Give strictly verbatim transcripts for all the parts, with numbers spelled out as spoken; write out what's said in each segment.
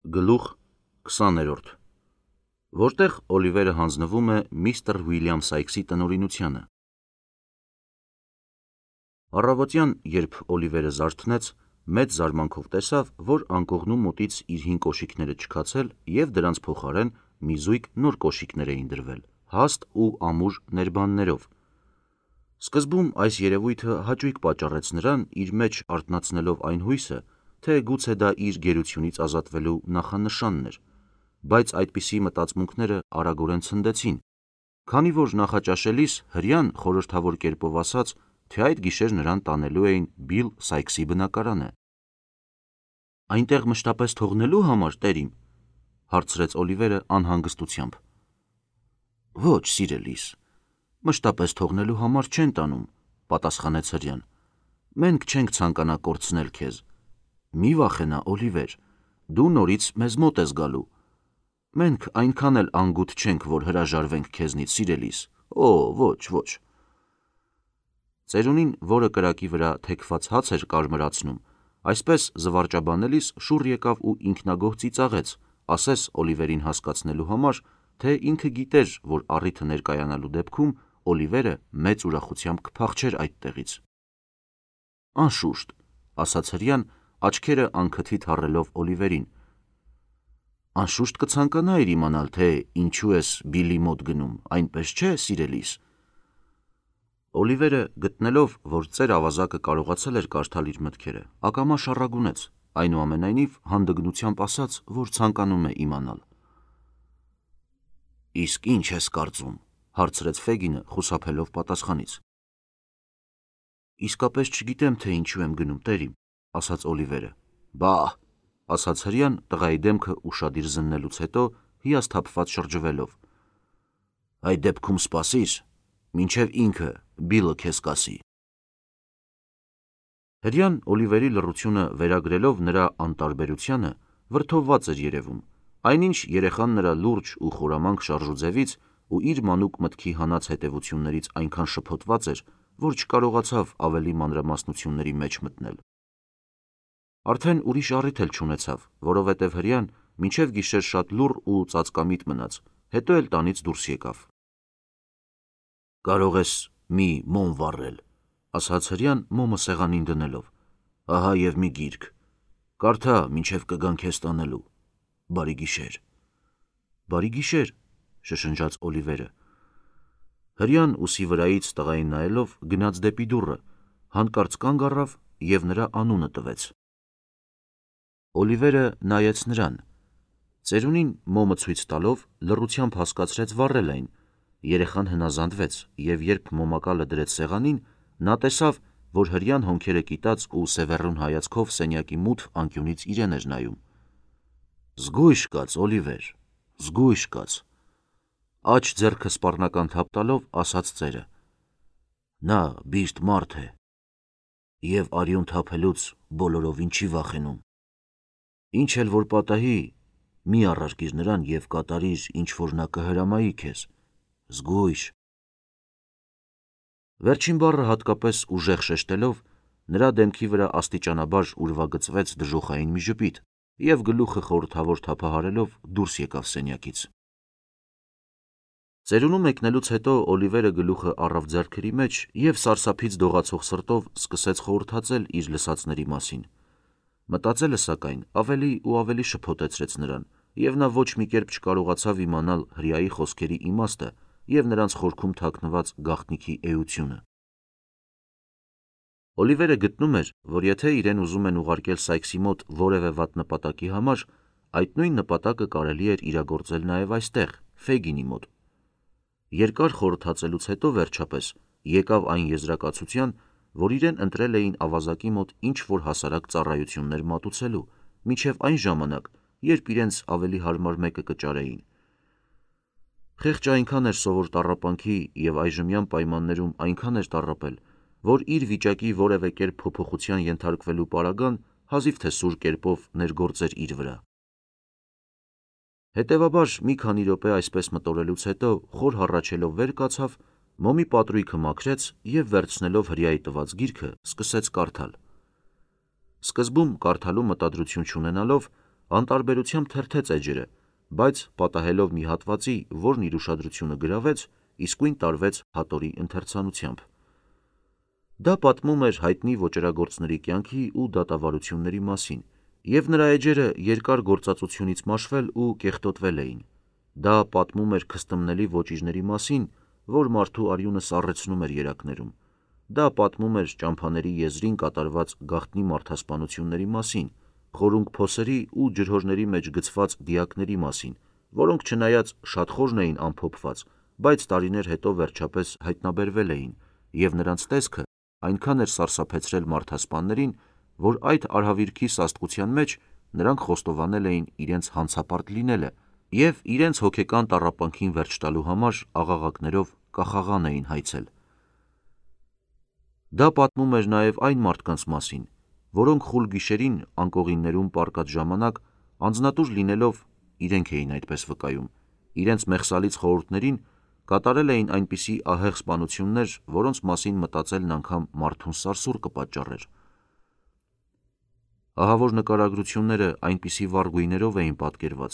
Գլուխ քսաներորդ որտեղ Օլիվերը հանձնվում է միստր Ուիլյամ Սայքսի տնօրինությանը։ Առավոտյան, երբ Օլիվերը զարթնեց, մեծ զարմանքով տեսավ, որ անկողնու մոտից իր հին կոշիկները չքացել և դրանց փոխարեն մի զույգ նոր կոշիկներ էին դրվել, հաստ ու ամուր ներբաններով։ Սկզբում այս երևույթը հաճույք պատճառեց նրան, իր մեջ արթնացնելով այն հույսը, թե գուցե դա իր գերությունից ազատվելու նախանշանն էր, բայց այդպիսի մտածմունքները արագորեն ցնդեցին, քանի որ նախաճաշելիս հրեան խորհրդավոր կերպով ասաց, թե այդ գիշեր նրան տանելու էին Բիլ Սայքսի բնակարանը։ «Այնտեղ մշտապես թողնելու համար, տերիմ», հարցրեց Օլիվերը անհանգստությամբ։ «Ոչ, սիրելիս, մշտապես թողնելու համար չեն տանում», պատասխանեց հրեան։ «Մենք չենք ցանկանա կորցնել քեզ։ Մի վախենա, Օլիվեր, դու նորից մեզ մոտ ես գալու։ Մենք այնքան էլ անգութ չենք, որ հրաժարվենք քեզնից, սիրելիս, օ, ոչ, ոչ»։ Ծերունին, որը կրակի վրա թեքված հաց էր կարմրացնում, այսպես զվարճաբանելիս շուռ եկավ ու ինքնագոհ ծիծաղեց, ասես Օլիվերին հասկացնելու համար, թե ինքը գիտեր, որ առիթը ներկայանալու դեպքում Օլիվերը մեծ ուրախությամբ կփախչեր այդտեղից։ «Անշուշտ», ասաց հրեան, աչքերը անքթիթ հառելով Օլիվերին։ «Անշուշտ կցանկանայիր իմանալ, թե ինչու ես Բիլի մոտ գնում, այնպես չէ, սիրելիս»։ Օլիվերը, գտնելով, որ ծեր ավազակը կարողացել էր կարդալ իր մտքերը, ակամա շառագունեց, այնուամենայնիվ հանդգնությամբ ասաց, որ ցանկանում է իմանալ։ «Իսկ ի՞նչ ես կարծում», հարցրեց Ֆեգինը խուսափելով պատասխանից։ «Իսկապես չգիտեմ, թե ինչու եմ գնում, տերիմ», ասաց Օլիվերը։ «Բա՛հ», ասաց հրեան տղայի դեմքը ուշադիր զննելուց հետո հիասթափված շրջվելով։ «Այդ դեպքում սպասիր, մինչև ինքը Բիլը քեզ կասի»։ Հրեան Օլիվերի լռությունը վերագրելով նրա անտարբերությանը, վրդովված էր երևում, այնինչ երեխան նրա լուրջ ու խորամանկ շարժուձևից ու իր մանուկ մտքի հանած հետևություններից այնքան շփոթված էր, որ չկարողացավ ավելի մանրամասնությունների մեջ մտնել։ Արդեն ուրիշ առիթ էլ չունեցավ, որովհետև հրեան մինչև գիշեր շատ լուռ ու ծածկամիտ մնաց, հետո էլ տանից դուրս եկավ։ «Կարող ես մի մոմ վառել», ասաց հրեան մոմը սեղանին դնելով։ «Ահա և մի գիրք, կարդա, մինչև կգան քեզ տանելու։ Բարի գիշեր»։ «Բարի գիշեր», շշնջաց Օլիվերը։ Հրեան ուսի վրայից տղային նայելով գնաց դեպի դուռը, հանկարծ կանգ առավ և նրա անունը տվեց։ Օլիվերը նայեց նրան։ Ծերունին մոմը ցույց տալով լռությամբ հասկացրեց վառել այն։ Երեխան հնազանդվեց, և երբ մոմակալը դրեց սեղանին, նա տեսավ, որ հրեան հոնքերը կիտած ու սևեռուն հայացքով սենյակի մութ անկյունից իրեն էր նայում։ «Զգույշ կաց, Օլիվեր, զգույշ կաց», աջ ձեռքը սպառնական թափ տալով ասաց ծերը։ «Նա բիրտ մարդ է և արյուն թափելուց բոլորովին չի վախենում։ Ինչ էլ որ պատահի, մի առարկիր նրան և կատարիր, ինչ որ նա կհրամայի քեզ, զգույշ»։ Վերջին բառը հատկապես ուժեղ շեշտելով, նրա դեմքի վրա աստիճանաբար ուրվագծվեց դժոխային մի ժպիտ, և գլուխը խորհրդավոր թափահարելով դուրս եկավ սենյակից։ Ծերունու մեկնելուց հետո Օլիվերը գլուխը առավ ձեռքերի մեջ և սարսափից դողացող սրտով սկսեց խորհրդածել իր լսածների մասին։ Մտածելը, սակայն, ավելի ու ավելի շփոթեցրեց նրան, և նա ոչ մի կերպ չկարողացավ իմանալ հրեայի խոսքերի իմաստը և նրանց խորքում թաքնված գաղտնիքի էությունը։ Օլիվերը գտնում էր, որ եթե իրեն ուզում են ուղարկել Սայքսի մոտ որևէ վատ նպատակի համար, այդ նույն նպատակը կարելի էր իրագործել նաև այստեղ, Ֆեգինի մոտ։ Երկար խորհրդածելուց հետո, վերջապես, եկավ այն եզրակացության, որ իրեն ընտրել էին ավազակի մոտ ինչ-որ հասարակ ծառայություններ մատուցելու, մինչև այն ժամանակ, երբ իրենց ավելի հարմար մեկը կճարեին։ Խեղճը այնքան էր սովոր տառապանքի և այժմյան պայմաններում այնքան էր տառապել, որ իր վիճակի որևէ կերպ փոփոխության ենթարկվելու պարագան հազիվ թե սուր կերպով ներգործեր իր վրա։ Հետևաբար, մի քանի րոպե այսպես մտորելուց հետո, խոր հառաչելով վեր կացավ, մոմի պատրույգը մաքրեց և վերցնելով հրեայի տված գիրքը, սկսեց կարդալ։ Սկզբում կարդալու մտադրություն չունենալով, Անտարբերությամբ թերթեց էջերը, բայց պատահելով մի հատվածի, որն իր ուշադրությունը գրավեց, իսկույն տարվեց հատորի ընթերցանությամբ։ Դա պատմում էր հայտնի ոճրագործների կյանքի ու դատավարությունների մասին, և նրա էջերը երկար գործածությունից մաշվել ու կեղտոտվել էին։ Դա պատմում էր քստմնելի ոճիժների մասին, որ մարդու արյունը սառեցնում էր երակներում։ Դա պատմում էր ճամփաների եզրին կատարված գաղտնի մարդասպանությունների մասին, խորունկ փոսերի ու ջրհորների մեջ գցված դիակների մասին, որոնք չնայած շատ խորն էին ամփոփված, բայց տարիներ հետո վերջապես հայտնաբերվել էին, և նրանց տեսքը այնքան էր սարսափեցրել մարդասպաններին, որ այդ արհավիրքի սաստկության մեջ նրանք խոստովանել էին իրենց հանցապարտ լինելը և իրենց հոգեկան տառապանքին վերջ տալու համար աղաղակներով կախաղան էին հայցել։ Դա պատմում էր նաև այն մարդկանց մասին, որոնք խուլ գիշերին անկողիններում պառկած ժամանակ, անձնատուր լինելով, իրենք էին այդպես վկայում, իրենց մեղսալից խորհուրդներին կատարել էին այնպիսի ահեղ սպանություններ, որոնց մասին մտածելն անգամ մարդուն սարսուռ կպատճառեր։ Ահավոր նկարագրությունները այնպիսի վառ գույներով էին պատկերված,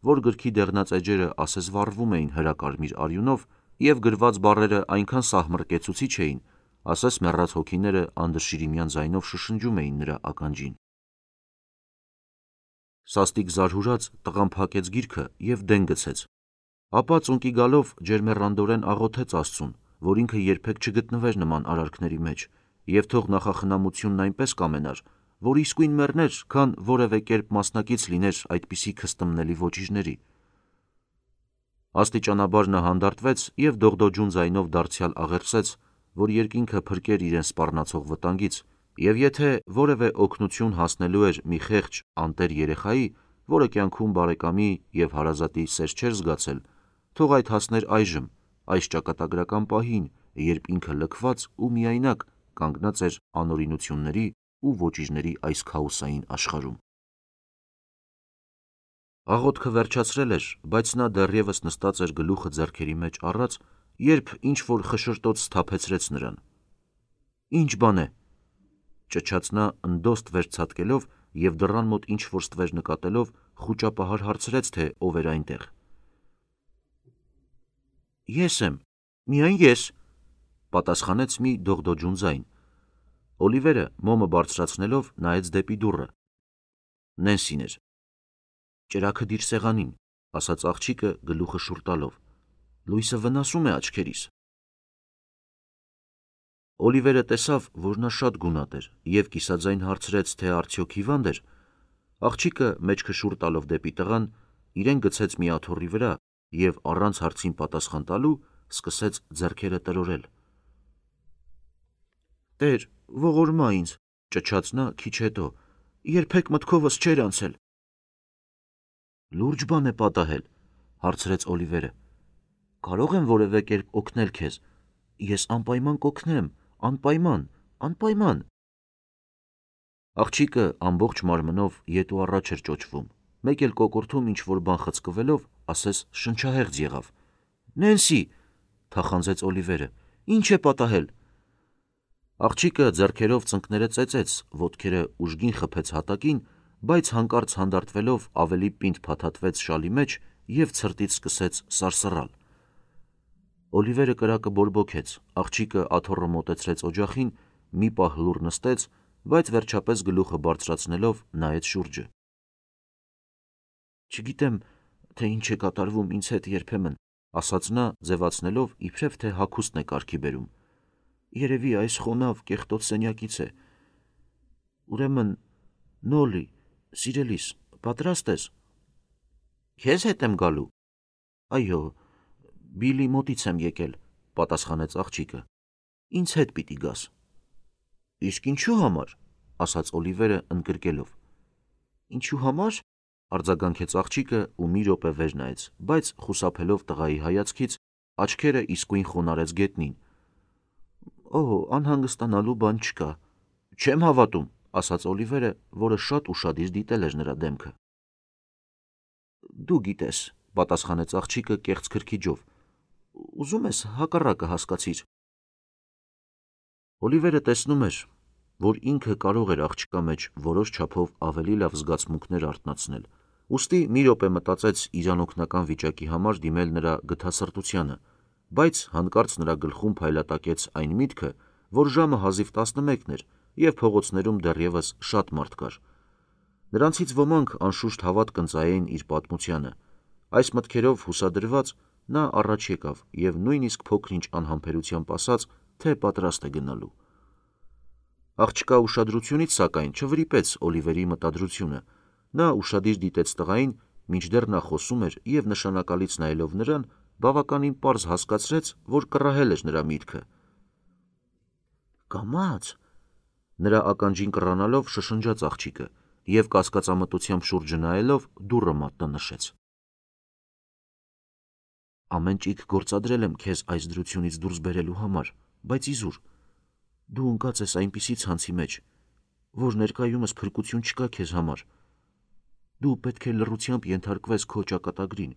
որ գրքի դեղնած էջերը ասես վառվում էին հրակարմիր արյունով, և գրված բառերը այնքան սահմռկեցուցիչ էին, ասես մեռած հոգիները անդրշիրիմյան ձայնով շշնջում էին նրա ականջին։ Սաստիկ զարհուրած տղան փակեց գիրքը և դեն գցեց, ապա ծունկի գալով ջերմեռանդորեն աղոթեց Աստծուն, որ ինքը երբեք չգտնվեր նման արարքների մեջ, և թող նախախնամությունն այնպես կամենար, որ իսկույն մեռներ, քան որևէ կերպ մասնակից լիներ այդպիսի քստմնելի ոճիժների։ Աստիճանաբար նա հանդարտվեց և դողդոջուն ձայնով դարձյալ աղերսեց, որ երկինքը փրկեր իրեն սպառնացող վտանգից, և եթե որևէ օգնություն հասնելու էր մի խեղճ անտեր երեխայի, որը կյանքում բարեկամի և հարազատի սեր չէր զգացել, թող այդ հասներ այժմ, այս ճակատագրական պահին, երբ ինքը լքված ու միայնակ կանգնած էր անօրինությունների ու ոճիժների այս քաոսային աշխարհում։ Աղոթքը վերջացրել էր, բայց նա դեռևս նստած էր գլուխը ձեռքերի մեջ առած, երբ ինչ-որ խշշրտոց սթափեցրեց նրան։ «Ի՞նչ բան է», ճչաց նա ընդոստ վեր ցատկելով և դռան մոտ ինչ-որ ստվեր նկատելով խուճապահար հարցրեց, թե ով էր այնտեղ։ «Ես եմ, միայն ես», պատասխանեց մի դողդոջուն ձայն։ Օլիվերը մոմը բարձրացնելով նայեց դեպի դուռը։ Նենսին էր։ «Ճրագը դիր սեղանին», ասաց աղջիկը գլուխը շուռ տալով, «լույսը վնասում է աչքերիս»։ Օլիվերը տեսավ, որ նա շատ գունատ էր, և կիսաձայն հարցրեց, թե արդյոք հիվա՞նդ էր։ Աղջիկը մեջքը շուռ տալով դեպի տղան, իրեն գցեց մի աթոռի վրա և առանց հարցին պատասխան տալու սկսեց ձեռքերը տրորել։ «Տեր, ողորմա ինձ», ճչաց նա քիչ հետո, «երբեք մտքովս չէր անցել»։ «Լուրջ բան է պատահել», հարցրեց Օլիվերը։ «Կարո՞ղ եմ որևէ կերպ օգնել քեզ։ Ես անպայման կօգնեմ, անպայման, անպայման»։ Աղջիկը ամբողջ մարմնով ետ ու առաջ էր ճոճվում, մեկ էլ կոկորդում ինչ-որ բան խցկվելով, ասես շնչահեղձ եղավ։ «Նենսի», թախանձեց Օլիվերը, «ի՞նչ է պատահել»։ Աղջիկը ձեռքերով ծնկները ծեծեց, ոտքերը ուժգին խփեց հատակին, բայց հանկարծ հանդարտվելով ավելի պինդ փաթաթվեց շալի մեջ և ցրտից սկսեց սարսռալ։ Օլիվերը կրակը բորբոքեց, աղջիկը աթոռը մոտեցրեց օջախին, մի պահ լուռ նստեց, բայց վերջապես գլուխը բարձրացնելով նայեց շուրջը։ «Չգիտեմ, թե ինչ է կատարվում ինձ հետ երբեմն», ասաց նա, ձևացնելով, իբրև թե հագուստն է կարգի բերում։ «Երևի այս խոնավ, կեղտոտ սենյակից է։ Ուրեմն, Նոլլի, սիրելիս, պատրաստ ես»։ «Քեզ հետ եմ գալու»։ «Այո, Բիլի մոտից եմ եկել», պատասխանեց աղջիկը։ «Ինձ հետ պիտի գաս»։ «Իսկ ինչու համար», ասաց Օլիվերը ընկրկելով։ «Ինչու համար», արձագանքեց աղջիկը ու մի րոպե վեր նայեց, բայց խուսափելով տղայի հայացքից, աչքերը իսկույն խոնարհեց գետնին։ «Օ, անհանգստանալու բան չկա»։ «Չեմ հավատում», ասաց Օլիվերը, որը շատ ուշադիր դիտել էր նրա դեմքը։ «Դու գիտես», պատասխանեց աղջիկը կեղծ քրքիջով։ «Ուզում ես հակառակը հասկացիր»։ Օլիվերը տեսնում էր, որ ինքը կարող էր աղջկա մեջ որոշ չափով ավելի լավ զգացմունքներ արթնացնել, Ուստի մի րոպե մտածեց իր անօգնական վիճակի համար դիմել նրա գթասրտությանը, բայց հանկարծ նրա գլխում փայլատակեց այն միտքը, որ ժամը հազիվ տասնմեկն էր և փողոցներում դեռևս շատ մարդ կար։ Նրանցից ոմանք անշուշտ հավատ կընծայեին իր պատմությանը։ Այս մտքերով հուսադրված նա առաջ եկավ և նույնիսկ փոքր-ինչ անհամբերությամբ ասաց, թե պատրաստ է գնալու։ Աղջկա ուշադրությունից, սակայն, չվրիպեց Օլիվերի մտադրությունը։ Նա ուշադիր դիտեց տղային, մինչդեռ նա խոսում էր և նշանակալից նայելով նրան, բավականին պարզ հասկացրեց, որ կռահել էր նրա միտքը։ «Կամաց», նրա ականջին կռանալով շշնջաց աղջիկը և կասկածամտությամբ շուրջը նայելով դուռը մատնանշեց։ «Ամեն ճիգ գործադրել եմ քեզ այս դրությունից դուրս բերելու համար, բայց իզուր, դու ընկած ես այնպիսի ցանցի մեջ, որ ներկայումս փրկություն չկա քեզ համար։ Դու պետք է լռությամբ ենթարկվես քո ճակատագրին։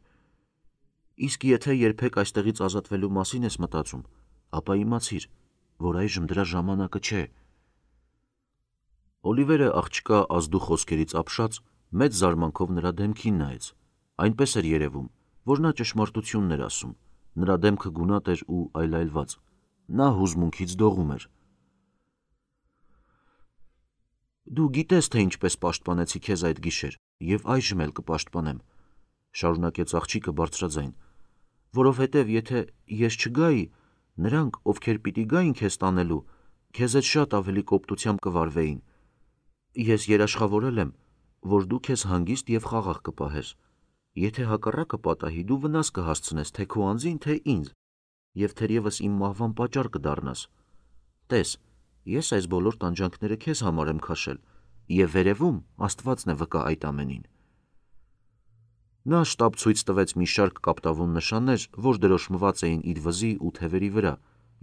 Իսկ եթե երբեք այստեղից ազատվելու մասին ես մտածում, ապա իմացիր, որ այժմ դրա ժամանակը չէ»։ Օլիվերը աղջկա ազդու խոսքերից ապշած մեծ զարմանքով նրա դեմքին նայեց։ Այնպես էր երևում, որ նա ճշմարտությունն էր ասում, նրա դեմքը գունատ էր ու այլայլված։ Նա հուզմունքից դողում էր։ «Դու գիտես, թե ինչպես պաշտպանեցի քեզ այդ գիշեր և այժմ էլ կպաշտպանեմ», շարունակեց աղջիկը բարձրաձայն, «որովհետև եթե ես չգայի, նրանք, ովքեր պիտի գային քեզ տանելու, քեզ հետ շատ ավելի կոպտությամբ կվարվեին։ Ես երաշխավորել եմ, որ դու քեզ հանգիստ և խաղաղ կպահես։ Եթե հակառակը պատահի, դու վնաս կհասցնես թե քո անձին, թե ինձ, և թերևս իմ մահվան պատճառ կդառնաս։ Տես, ես այս բոլոր տանջանքները քեզ համար եմ քաշել, և վերևում Աստվածն է վկա այդ ամենին»։ Նա շտապ ցույց տվեց մի շարք կապտավուն նշաններ, որ դրոշմված էին իր վզի ու թևերի վրա,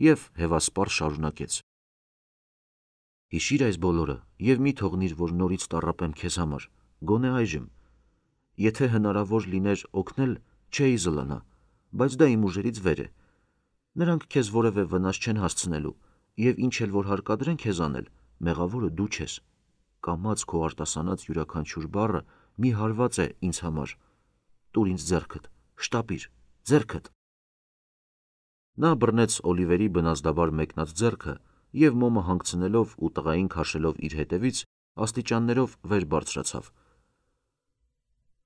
և հևասպառ շարունակեց. «Հիշիր այս բոլորը և մի թողնիր, որ նորից տառապեմ քեզ համար, գոնե այժմ։ Եթե հնարավոր լիներ օգնել, չէի զլանա, բայց դա իմ ուժերից վեր է։ Նրանք քեզ որևէ վնաս չեն հասցնելու, և ինչ էլ որ հարկադրեն քեզ անել, մեղավորը դու չես։ Կամաց քո արտասանած յուրաքանչյուր բառը մի հարված է ինձ համար։ Տուր ինձ ձեռքդ, շտապիր, ձեռքդ»։ Նա բռնեց Օլիվերի բնազդաբար մեկնած ձեռքը և մոմը հանգցնելով ու տղային քաշելով իր հետևից, աստիճաններով վեր բարձրացավ։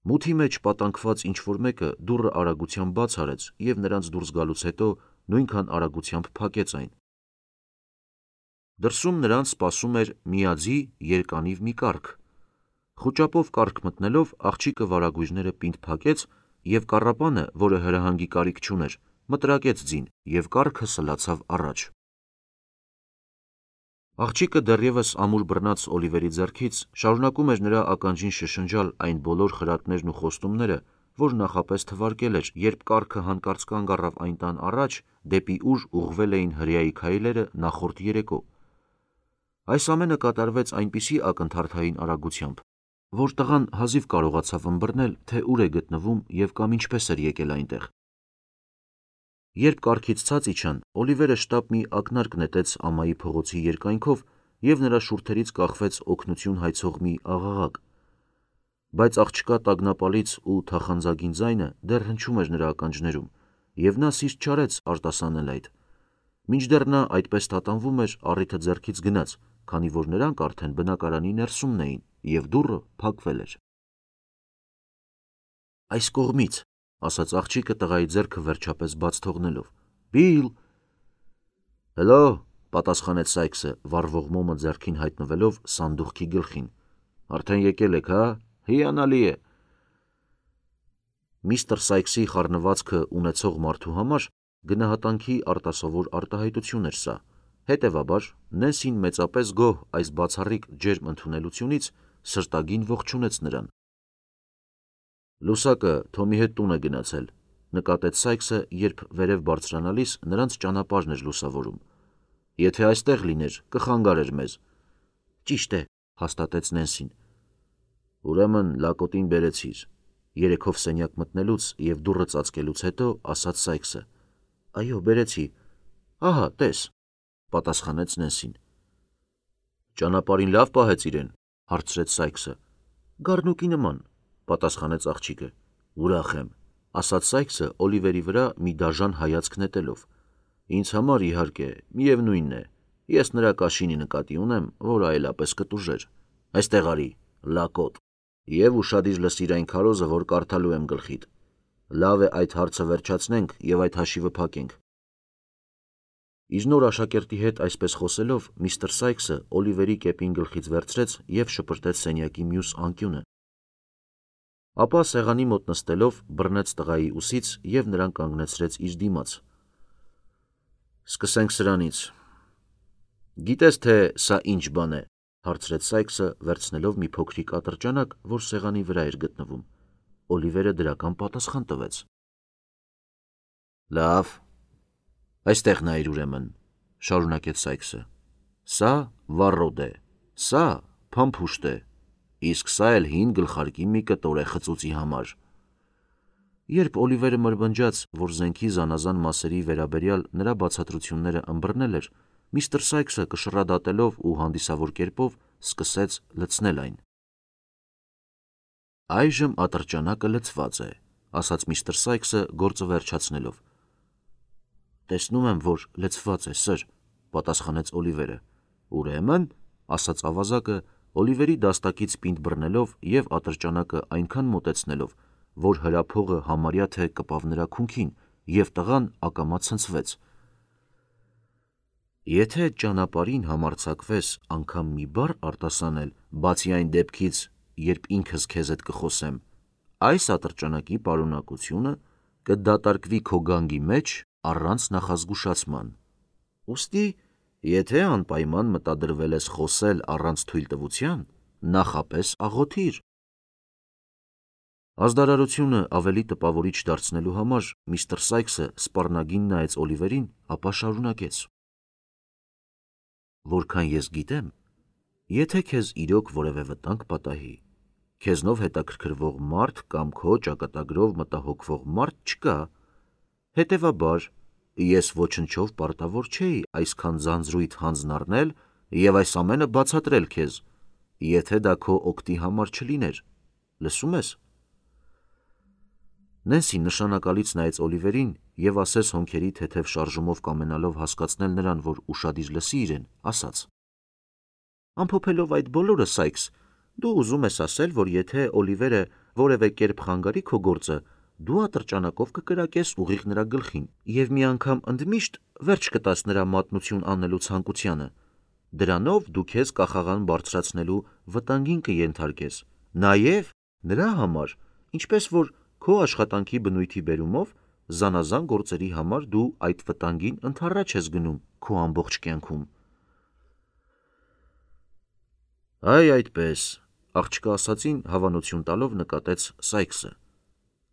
Մութի մեջ պատանքված ինչ-որ մեկը դուռը արագությամբ բաց արեց և նրանց դուրս գալուց հետո նույնքան արագությամբ փակեց այն։ Դրսում նրանց սպասում էր միաձի երկանիվ մի կառք։ Խուճապով կառք մտնելով, աղջիկը վարագույրները պինդ փակեց և կառապանը, որը հրահանգի կարիք չուներ, մտրակեց ձին, և կառքը սլացավ առաջ։ Աղջիկը դեռևս ամուր բռնած Օլիվերի ձեռքից շարունակում էր նրա ականջին շշնջալ այն բոլոր խրատներն ու խոստումները, որ նախապես թվարկել էր, երբ կառքը հանկարծ կանգ առավ այն տան առաջ, դեպի ուր ուղղվել էին հրեայի քայլերը նախորդ երեկո։ Այս ամենը կատարվեց այնպիսի ակնթարթային արագությամբ, որ տղան հազիվ կարողացավ ըմբռնել, թե ուր է գտնվում և կամ ինչպես էր եկել այնտեղ։ Երբ կառքից ցած իջան, Օլիվերը շտապ մի ակնարկ նետեց ամայի փողոցի երկայնքով և նրա շուրթերից կախվեց օգնություն հայցող մի աղաղակ։ Բայց աղջկա տագնապալից ու թախանձագին ձայնը դեռ հնչում էր նրա ականջներում, և նա սիրտ չարեց արտասանել այդ։ Մինչդեռ նա այդպես տատանվում էր, առիթը ձեռքից գնաց, քանի որ նրանք արդեն բնակարանի ներսումն էին, և դուռը փակվել էր։ «Այս կողմից», ասաց աղջիկը տղայի ձեռքը վերջապես բաց թողնելով։ «Բիլ»։ «Հլո», պատասխանեց Սայքսը, վառվող մոմը ձեռքին հայտնվելով սանդուղքի գլխին։ «Արդեն եկել եք, հա՞, հիանալի է»։ Միստր Սայքսի խառնվածքը ունեցող մարդու համար գնահատանքի արտասովոր արտահայտություն էր սա, հետևաբար Նենսին մեծապես գոհ այս բացառիկ ջերմ ընդունելությունից սրտագին ողջունեց նրան։ «Լուսակը Թոմի հետ տուն է գնացել», նկատեց Սայքսը, երբ վերև բարձրանալիս նրանց ճանապարհն էր լուսավորում։ «Եթե այստեղ լիներ, կխանգարեր մեզ»։ «Ճիշտ է», հաստատեց Նենսին։ «Ուրեմն լակոտին բերեցիր», երեքով սենյակ մտնելուց և դուռը ծածկելուց հետո ասաց Սայքսը։ «Այո, բերեցի, ահա տես», պատասխանեց Նենսին։ «Ճանապարհին լավ պահեց իրեն», հարցրեց Սայքսը։ «Գառնուկի նման, պատասխանեց աղջիկը։ Ուրախ եմ, ասաց Սայքսը Օլիվերի վրա մի դաժան հայացք նետելով։ Ինձ համար իհարկե, միևնույնն է, ես նրա կաշինի նկատի ունեմ, որ այլապես կտուժեր։ Այստեղ արի, լակոտ, եւ ուշադիր լսիր այն քարոզը, որ կարդալու եմ գլխիդ։ Լավ է այդ հարցը վերջացնենք եւ այդ հաշիվը փակենք։ Իր նոր աշակերտի հետ այսպես խոսելով, միստր Սայքսը Օլիվերի կեպին գլխից վերցրեց եւ շպրտեց սենյակի մյուս անկյունը։ Ապա սեղանի մոտ նստելով բռնեց տղայի ուսից եւ նրան կանգնեցրեց իր դիմաց։ Սկսենք սրանից։ Գիտես թե սա ինչ բան է, հարցրեց Սայքսը, վերցնելով մի փոքրիկ ատրճանակ, որ սեղանի վրա էր գտնվում։ Օլիվերը դրական պատասխան տվեց։ Լավ, այստեղ նայր ուրեմն, շարունակեց Սայքսը։ Սա վառոդ է, սա փամփուշտ է, իսկ սա էլ հին գլխարկի մի կտոր է խծուծի համար։ Երբ Օլիվերը մրմնջաց, որ զենքի զանազան մասերի վերաբերյալ նրա բացատրությունները ըմբռնել էր, միստր Սայքսը կշռադատելով ու հանդիսավոր կերպով սկսեց լցնել այն։ Այժմ ատրճանակը լցված է, ասաց միստր Սայքսը գործը վերջացնելով։ Տեսնում եմ, որ լցված է, սըր, պատասխանեց Օլիվերը։ Ուրեմն, ասաց ավազակը, Օլիվերի դաստակից պինդ բռնելով եւ ատրճանակը այնքան մոտեցնելով, որ հրափողը համարյա թե կպավ նրա քունքին, եւ տղան ակամա ցնցվեց։ Եթե ճանապարհին համարձակվես անգամ մի բառ արտասանել, բացի այն դեպքից, երբ ինքս քեզ հետ կխոսեմ, այս ատրճանակի պարունակությունը կդատարկվի քո գանգի մեջ առանց նախազգուշացման։ Ուստի, եթե անպայման մտադրվել ես խոսել առանց թույլտվության, նախապես աղոթիր։ Ազդարարությունը ավելի տպավորիչ դարձնելու համար միստր Սայքսը սպառնագին նայեց Օլիվերին, ապա շարունակեց. Որքան ես գիտեմ, եթե քեզ իրոք որևէ վտանգ պատահի, քեզնով հետաքրքրվող մարդ կամ քո ճակատագրով մտահոգվող մարդ չկա, հետևաբար ես ոչնչով պարտավոր չէի այսքան ձանձրույթ հանձն առնել եւ այս ամենը բացատրել քեզ, եթե դա քո օգտի համար չլիներ, լսում ես։ Նենսին նշանակալից նայեց Օլիվերին եւ ասես հոնքերի թեթև շարժումով կամենալով հասկացնել նրան, որ ուշադիր լսի իրեն, ասաց. Ամփոփելով այդ բոլորը, Սայքս, դու ուզում ես ասել, որ եթե Օլիվերը որևէ կերպ խանգարի քո գործը, դու ատրճանակով կկրակես ուղիղ նրա գլխին եւ մի անգամ ընդմիշտ վերջ կտաս նրա մատնություն անելու ցանկությանը։ Դրանով դու քեզ կախաղան բարձրացնելու վտանգին կենթարկես, նաեւ նրա համար, ինչպես որ քո աշխատանքի բնույթի բերումով զանազան գործերի համար դու այդ վտանգին ընդառաջ ես գնում քո ամբողջ կյանքում։ Այ այդպես, աղջկա ասացին հավանություն տալով նկատեց Սայքսը։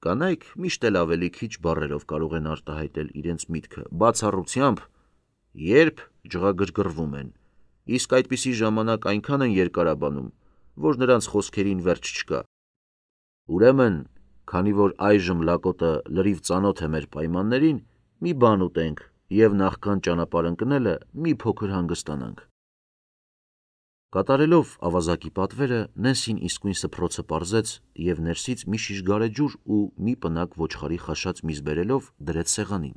Կանայք միշտ էլ ավելի քիչ բառերով կարող են արտահայտել իրենց միտքը, բացառությամբ, երբ ջղագրգռվում են, իսկ այդպիսի ժամանակ այնքան են երկարաբանում, որ նրանց խոսքերին վերջ չկա։ Ուրեմն, քանի որ այժմ լակոտը լրիվ ծանոթ է մեր պայմաններին, մի բան ուտենք եւ նախքան ճանապարհ ընկնելը մի փոքր հանգստանանք։ Կատարելով ավազակի պատվերը, Նենսին իսկույն սփռոցը պարզեց եւ ներսից մի շիշ գարեջուր ու մի պնակ ոչխարի խաշած միզ բերելով դրեց սեղանին։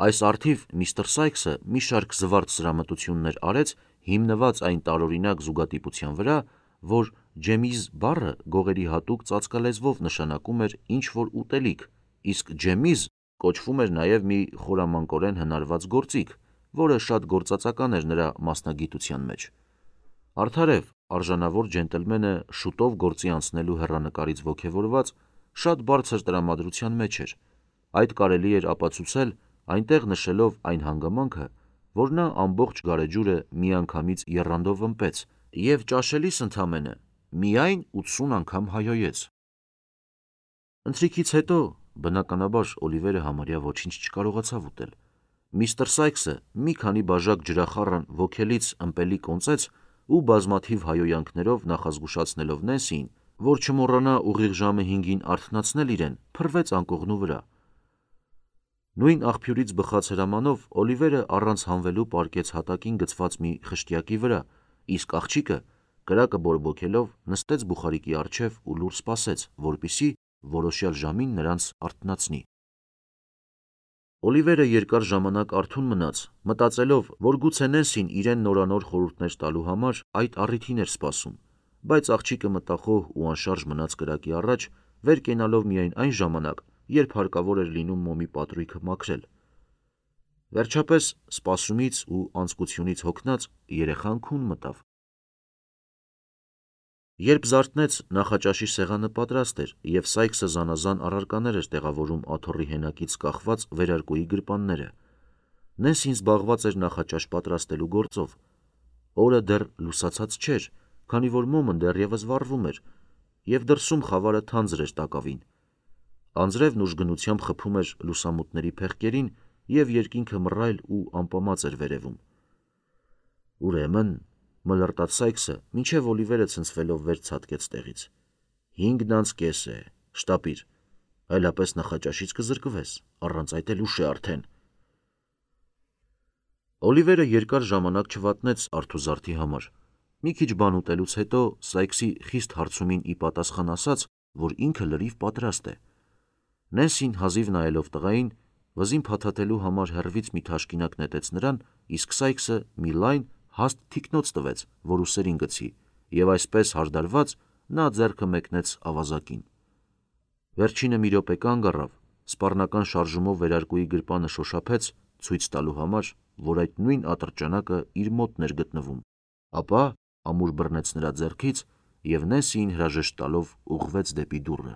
Այս առթիվ միստր Սայքսը մի շարք զվարթ սրամտություններ արեց, հիմնված այն տարօրինակ զուգադիպության վրա, որ ջեմիզ բառը գողերի հատուկ ծածկալեզվով նշանակում էր ինչ-որ ուտելիք, իսկ ջեմիզ կոչվում էր նաև մի խորամանկորեն հնարված գործիք, որը շատ գործածական էր նրա մասնագիտության մեջ։ Արդարև, արժանավոր ջենտլմենը շուտով գործի անցնելու հեռանկարից ոգևորված շատ բարձր տրամադրության մեջ էր։ Այդ կարելի էր ապացուցել այնտեղ նշելով այն հանգամանքը, որ նա ամբողջ գարեջուրը միանգամից եռանդով ըմպեց եւ ճաշելիս ընդամենը միայն ութսուն անգամ հայոյեց։ Ընթրիքից հետո, բնականաբար, Օլիվերը համարյա ոչինչ չկարողացավ ուտել։ Միստր Սայքսը մի քանի բաժակ ջրախառն ոգելից ըմպելի կոնծեց ու բազմաթիվ հայոյանքներով նախազգուշացնելով Նենսիին, որ չմոռանա ուղիղ ժամը հինգին արթնացնել իրեն, փռվեց անկողնու վրա։ Նույն աղբյուրից բխած հրամանով Օլիվերը առանց հանվելու պառկեց հատակին գցված մի խշտյակի վրա, իսկ աղջիկը կրակը բորբոքելով նստեց բուխարիկի առջև ու լուր սպասեց, որպեսզի որոշյալ ժամին նրանց արթնացնի։ Օլիվերը երկար ժամանակ արթուն մնաց, մտածելով, որ գուցե Նենսին իրեն նորանոր խորհուրդներ տալու համար այդ առիթին էր սպասում, բայց աղջիկը մտախոհ ու անշարժ մնաց կրակի առաջ, վեր կենալով միայն այն ժամանակ, երբ հարկավոր էր լինում մոմի պատրույգը մաքրել։ Վերջապես, սպասումից ու անձկությունից հոգնած, երեխան քուն մտավ։ Երբ զարթնեց, նախաճաշի սեղանը պատրաստ էր, և Սայքսը զանազան առարկաներ էր տեղավորում աթոռի հենակից կախված վերարկուի գրպանները։ Նենսին զբաղված էր նախաճաշ պատրաստելու գործով։ Օրը դեռ լուսացած չէր, քանի որ մոմն դեռևս վառվում էր, և դրսում խավարը թանձր էր տակավին։ Անձրևն ուժգնությամբ խփում էր լուսամուտների փեղկերին, և երկինքը մռայլ ու ամպամած էր վերևում։ Ուրեմն, մլրտաց Սայքսը, մինչև Օլիվերը ցնցվելով վեր ցատկեց տեղից։ Հինգն անց կես է, շտապիր, այլապես նախաճաշից կզրկվես, առանց այդ էլ ուշ է արդեն։ Օլիվերը երկար ժամանակ չվատնեց արթուզարդի համար։ Մի քիչ բան ուտելուց հետո Սայքսի խիստ հարցումին ի պատասխան ասաց, որ ինքը լրիվ պատրաստ է։ Նենսին հազիվ նայելով տղային, վզին փաթաթելու համար հեռվից մի թաշկինակ նետեց նրան, իսկ Սայքսը մի լայն, հաստ թիկնոց տվեց, որ ուսերին գցի, և այսպես հարդարված նա ձեռքը մեկնեց ավազակին։ Վերջինը մի րոպե կանգ առավ, սպառնական շարժումով վերարկուի գրպանը շոշափեց, ցույց տալու համար, որ այդ նույն ատրճանակը իր մոտն էր գտնվում, ապա ամուր բռնեց նրա ձեռքից և Նենսիին հրաժեշտ տալով ուղղվեց դեպի դուռը։